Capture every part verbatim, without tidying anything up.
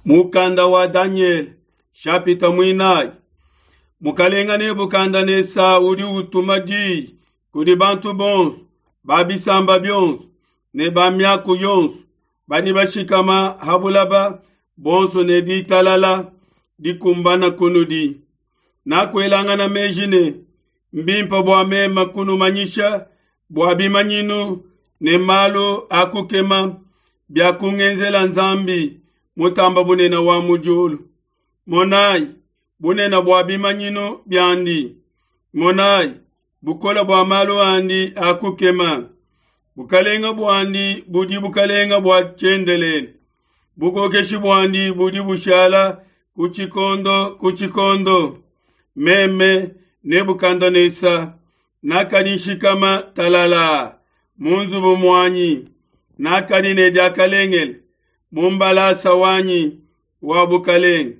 Mukanda wa Danyele shapita muinayi. Mukalenga Nebukadnesa udi utuma diyi kudi bantu bonso ba bisamba bionso ne ba miaku yonso badi bashikama ha bulaba bonso ne ditalala dikumbana kunudi. Nakuelangana meji ne mbimpe bua meme kunumanyisha bua bimanyinu ne malu a kukema bia kungenzela Nzambi mutamba bunene wa mu diulu. Monayi bunene bua bimanyinu biandi, monayi bukole bua malu andi a kukema. Bukalenga buandi budi bukalenga bua tshiendelele, bukokeshi buandi budi bushala ku tshikondo ku tshikondo. Meme Nebukadnesa nakadi nshikama talala mu nzubu muanyi, nakadi ne diakalengele mu mbalasa wanyi wa bukalenge.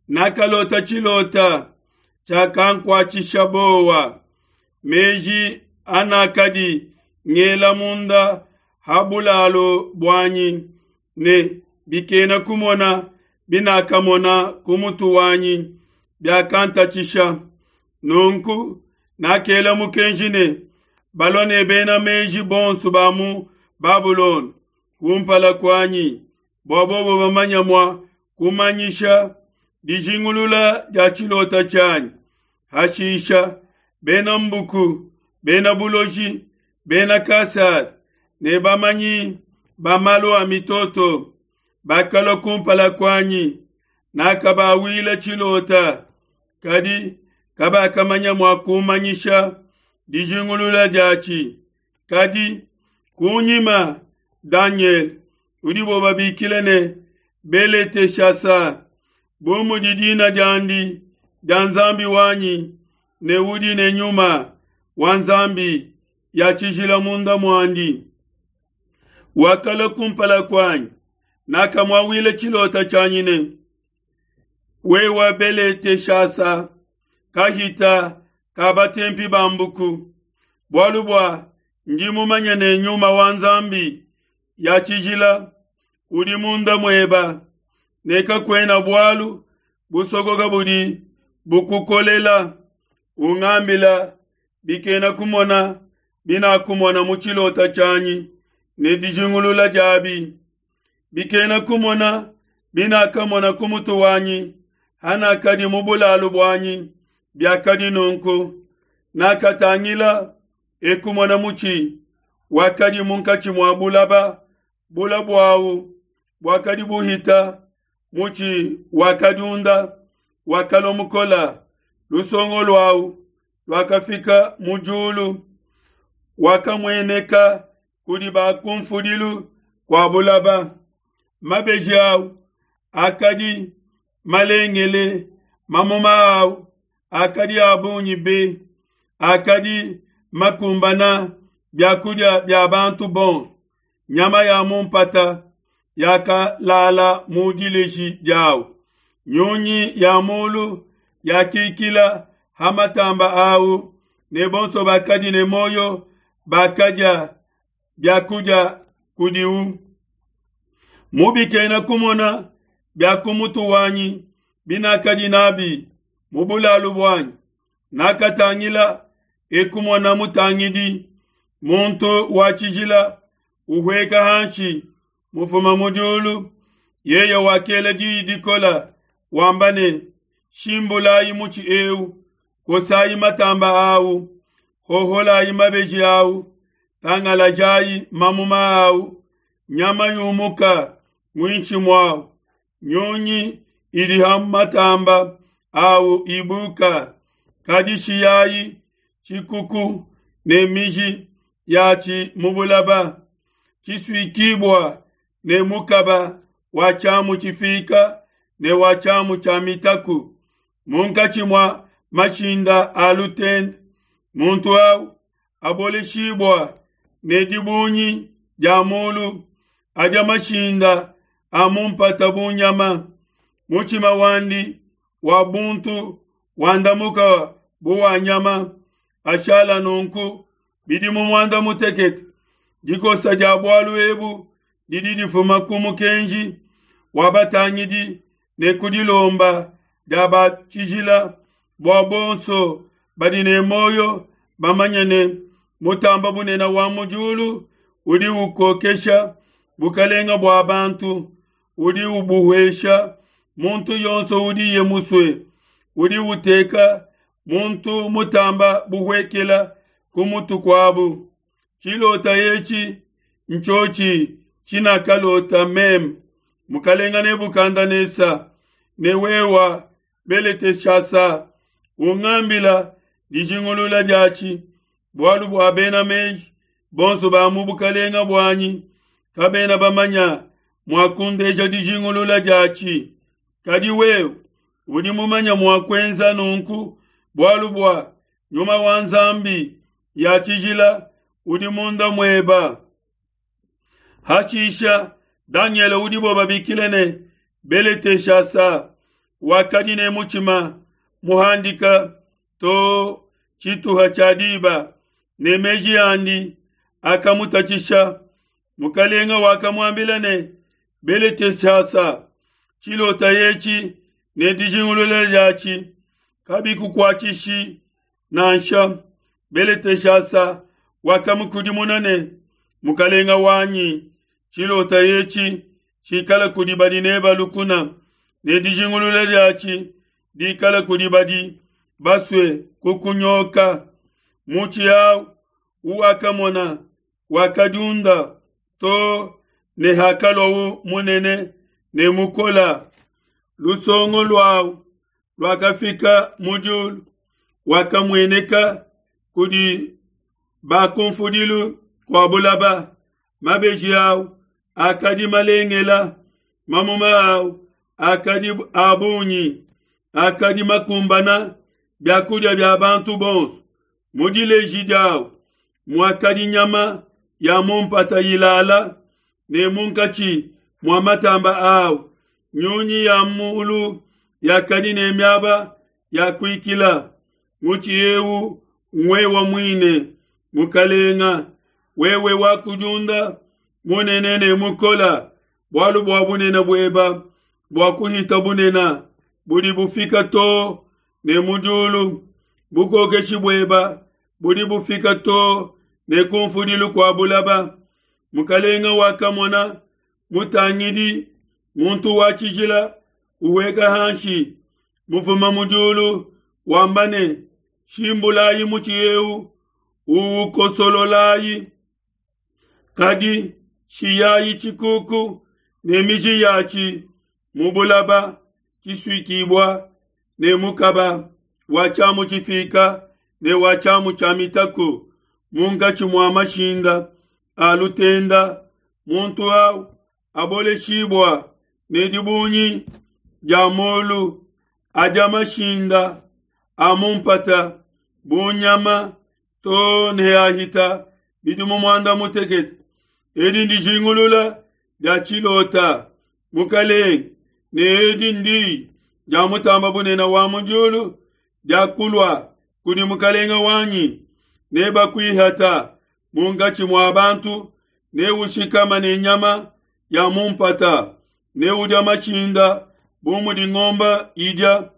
Nakalota tshilota tshiakankuatshisha bowa. Meji anakadi ngela munda ha bulalu buanyi ne bikena kumona binakamona ku mutu wanyi biakantatshisha. Nunku nakela mukenji ne balua ne bena meji bonso ba mu Babulona kumpala kuanyi, bua bobo bamanye mua kumanyisha dijingulula dia tshilota tshianyi. Hashisha bena mbuku, bena buloji, bena Kasada ne bamanyi ba malu a mitoto bakalua kumpala kuanyi. Nakabawila tshilota, kadi kabakamanya mua kumanyisha dijingulula diatshi. Kadi kunyima Danyele, udibo babikila ne Beleteshasa, bu mudi dina diandi dia Nzambi wanyi, ne udi ne nyuma wa Nzambi ya tshijila munda muandi, wakalua kumpala kuanyi. Nakamuawila tshilota tshianyi ne, wewe Beleteshasa, kahita ka batempi ba mbuku, bualu bua ndi mumanye ne nyuma wa Nzambi ya tshijila udi munda mueba, ne kakuena bualu busokoka budi bukukolela. Ungambila bikena kumona binakumona mu tshilota tshianyi ne dijingulula diabi. Bikena kumona binakamona ku mutu wanyi hanakadi mu bulalu buanyi biakadi nunku. Nakatangila ekumona mutshi wakadi munkatshi mua bulaba, bula buawu buakadi buhita mutshi wakadiunda, wakalua mukola, lusongo luawu luakafika mu diulu, wakamueneka kudi ba kunfudilu kua bulaba. Mabeji awu akadi malengele, mamuma awu akadi a bungi be, akadi makumbana biakudia bia bantu bonso. Nyama ya mu mpata yakalala mu dileji diawu, nyunyi ya mulu yakikila ha matamba awu, ne bonso bakadi ne moyo bakadia biakudia kudiwu. Mu bikena kumona bia ku mutu wanyi binakadi nabi mu bulalu buanyi, nakatangila ekumona mutangidi, muntu wa tshijila, uhueka hanshi mufuma mu diulu. Yeye wakela diyi dikola wamba ne, shimbulayi mutshi eu, kosayi matamba awu, hoholayi mabeji awu, tangalajayi mamuma awu, nyama yumuka muinshi muawu, nyunyi idi ha matamba awu ibuka. Kadi shiyayi tshikuku ne miji yatshi mu bulaba, tshisuikibua ne mukaba wa tshiamu tshifika ne wa tshiamu tshia mitaku, munkatshi mua mashinda a lutende. Muntu awu aboleshibua ne dibungi dia mulu, adia mashinda a mu mpata bu nyama. Mutshima wandi wa buntu wandamuka bu wa nyama, ashala nunku bidimu muanda mutekete. Dikosa dia bualu ebu didi difuma ku mukenji wa batangidi ne ku dilomba dia ba tshijila, bua bonso badi ne muoyo bamanye ne, Mutamba Bunene wa mu diulu udi ukokesha bukalenga bua bantu, udi ubuhesha muntu yonso udiye musue, udi uteka muntu mutamba buhuekela ku mutu kuabu. Tshilota etshi ntshiotshi tshinakalota meme, mukalenga Nebukadnesa, ne wewa Beleteshasa, ungambila dijingulula diatshi, bualu bua bena meji bonso ba mu bukalenga buanyi kabena bamanya mua kundeja dijingulula diatshi. Kadi wewe udi mumanya mua kuenza nunku, bualu bua nyuma wa Nzambi ya tshijila udi munda mueba. Hashisha Danyele udibo babikile ne Beleteshasa wakadi ne mutshima muhandika to tshituha tshia diba, ne meji andi akamutatshisha. Mukalenga wakamuambila ne, Beleteshasa, tshilota etshi ne dijingulula diatshi kabikukuatshishi nansha. Beleteshasa wakamukudimuna ne, Mukalenga wanyi, tshilota etshi tshikala kudi badi neba lukuna, ne dijingulula diatshi dikala kudi badi basue kukunyoka. Mutshi awu uwakamona wakadiunda to ne hakaluawu munene ne mukola. Lusongo luawu luakafika mu diulu, wakamueneka kudi bakunfudilu kua bulaba. Mabeji awu akadi malengela, mamuma awu akadi a bungi, akadi makumbana biakudia bia bantu bonso. Mu dileji diawu muakadi nyama ya mu mpata ilala, ne munkatshi mua matamba awu nyunyi ya mulu yakadi ne miaba ya kuikila. Mutshi ewu ngwewa muine, mukalenga, wewe wakudiunda munene ne mukola, bualu bua bunene bueba bua kuhita bunene budi bufika to ne mu diulu, bukokeshi bueba budi bufika to ne kunfudilu kua bulaba. Mukalenga wakamona mutangidi muntu wa tshijila uweka hanshi mufuma mu diulu, wamba ne, Shimbulayi mutshi ewu, uukosololayi, kadi shiyayi tshikuku ne miji yatshi mu bulaba tshisuikibua ne mukaba wa tshiamu tshifika ne wa tshiamu tshia mitaku munkatshi mua mashinda a lutenda. Muntu awu aboleshibua ne dibungi dia molu adia mashinda a mu mpata bu nyama to ne ahita bidimu muanda mutekete. Edi ndijingulula dia tshilota, mukalenge, ne edi ndi dia mutamba bunene wa mu diulu dia kulua kudi mukalenga wanyi. Ne bakuihata munkatshi mua bantu, ne ushikama ne nyama ya mu mpata, ne udia mashinda bu mudi ngomba idia,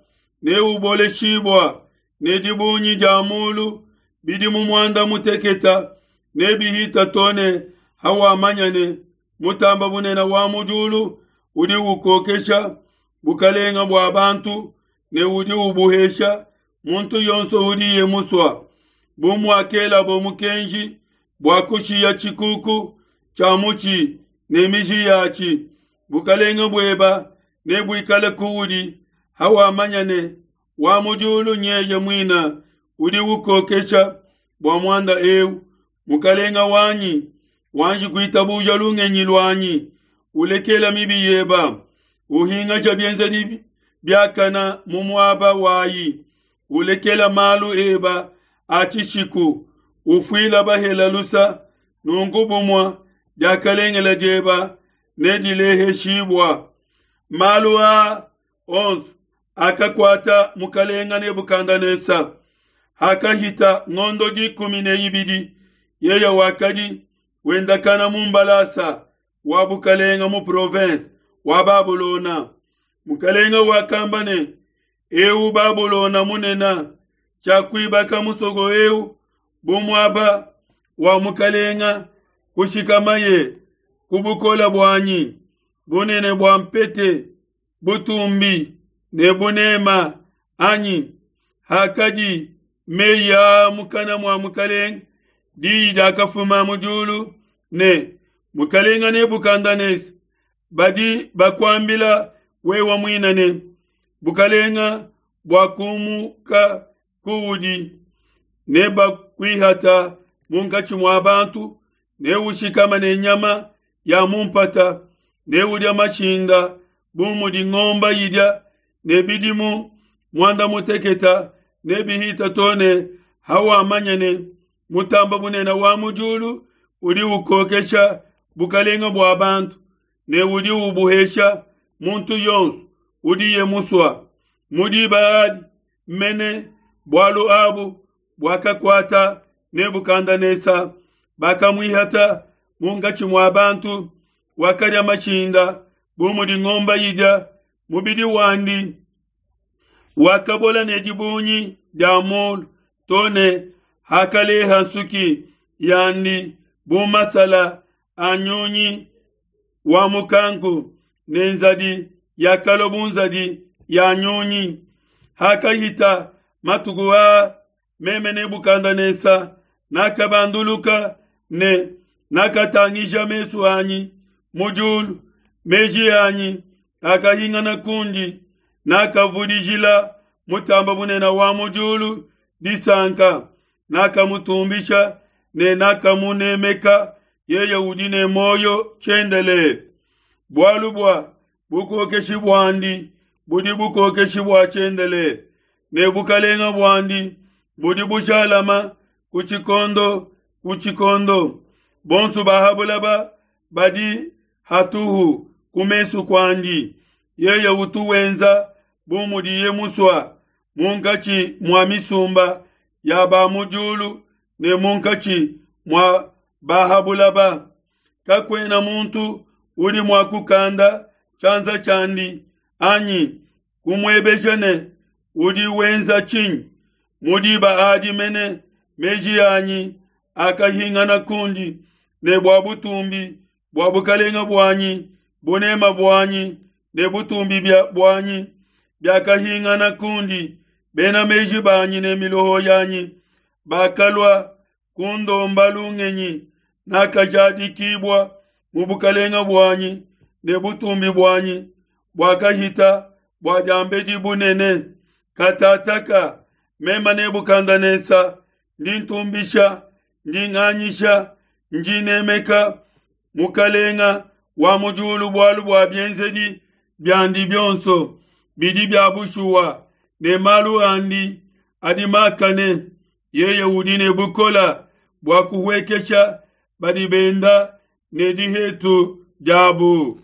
ne uboleshibua ne dibungi dia mulu bidimu muanda muteketa, ne bihita to ne hawamanya ne mutamba bunene wa mu diulu udi ukokesha bukalenga bua bantu ne udi ubuhesha muntu yonso udiye musua. Bu muakelabo mukenji bua kushiya tshikuku tshia mutshi ne miji yatshi, bukalenga bueba nebuikale kuudi hawamanya ne wa mu diulu nyeye muina udi ukokesha bua muanda eu. Mukalenga wanyi, wanji kuitabuja lungenyi luanyi, ulekela mibi yeba, uhingaja bienzedi biakana mu muaba wayi, ulekela malu eba a tshishiku, ufuila bahela lusa, nunku bumua diakalengela dieba nedileheshibua. Malu aa onso akakuata mukalenga Nebukadnesa. Hakahita ngondo dikumi ne ibidi, yeye wakadi wendakana mu mbalasa wa bukalenga mu province wa Babulona. Mukalenga wakamba ne, eu Babulona munena, tshiakuibaka musoko eu bu muaba wa mukalenga kushikamaye ku bukola buanyi, bunene bua mpete, butumbi ne bunema anyi. Hakadi meyi aa mukana mua mukalenga, diyi diakafuma mu diulu ne, Mukalenga Nebukadneza, badi bakuambila wewe muine ne, bukalenga buakumuka kuudi, nebakuihata munkatshi mua bantu, neushikame ne nyama ya mu mpata, neudia mashinda bu mudi ngomba idia, ne bidimu muanda muteketa nebihita to ne hawamanya ne Mutamba bunene wa mu diulu udi ukokesha bukalenga bua bantu, ne udi ubuhesha muntu yonso udiye musua. Mu diba adi mene bualu abu buakakuata Nebukadneza, bakamuihata munkatshi mua bantu, wakadia mashinda bu mudi ngomba idia, mubidi wandi wakabola ne dibungi dia mulu to ne hakaleha nsuki yandi bu masala a nyunyi wa mukanku, ne nzadi yakalua bu nzadi ya nyunyi. Hakahita matuku aa, meme Nebukadneza nakabanduluka ne nakatangija mesu anyi mu diulu, meji anyi akahingana kundi, nakavudijila Mutamba bunene wa mu diulu disanka, nakamutumbisha ne nakamunemeka, yeye udi ne muoyo tshiendelele. Bualu bua bukokeshi buandi budi bukokeshi bua tshiendelele, ne bukalenga buandi budi bujalama ku tshikondo ku tshikondo. Bonso ba ha bulaba badi hatuhu ku mesu kuandi, yeye utu wenza bu mudiye musua munkatshi mua misumba ya ba mu diulu ne munkatshi mua ba ha bulaba. Kakuena muntu udi mua kukanda tshianza tshiandi anyi kumuebeja ne, udi wenza tshinyi? Mu diba adi mene meji anyi akahingana kundi, ne bua butumbi bua bukalenga buanyi, bunema buanyi ne butumbi buanyi biakahingana kundi. Bena meji banyi ne miloho yanyi bakalua kundomba lungenyi, nakajadikibua mu bukalenga buanyi ne butumbi buanyi buakahita bua diambedi bunene. Katataka meme Nebukadneza ndi ntumbisha, ndi nganyisha, ndi nemeka Mukalenga wa mu diulu bualu bua bienzedi biandi bionso bidi bia bushuwa, ne malu andi adi makane. Yeye udi ne bukola bua kuhuekesha badi benda ne dihetu diabu.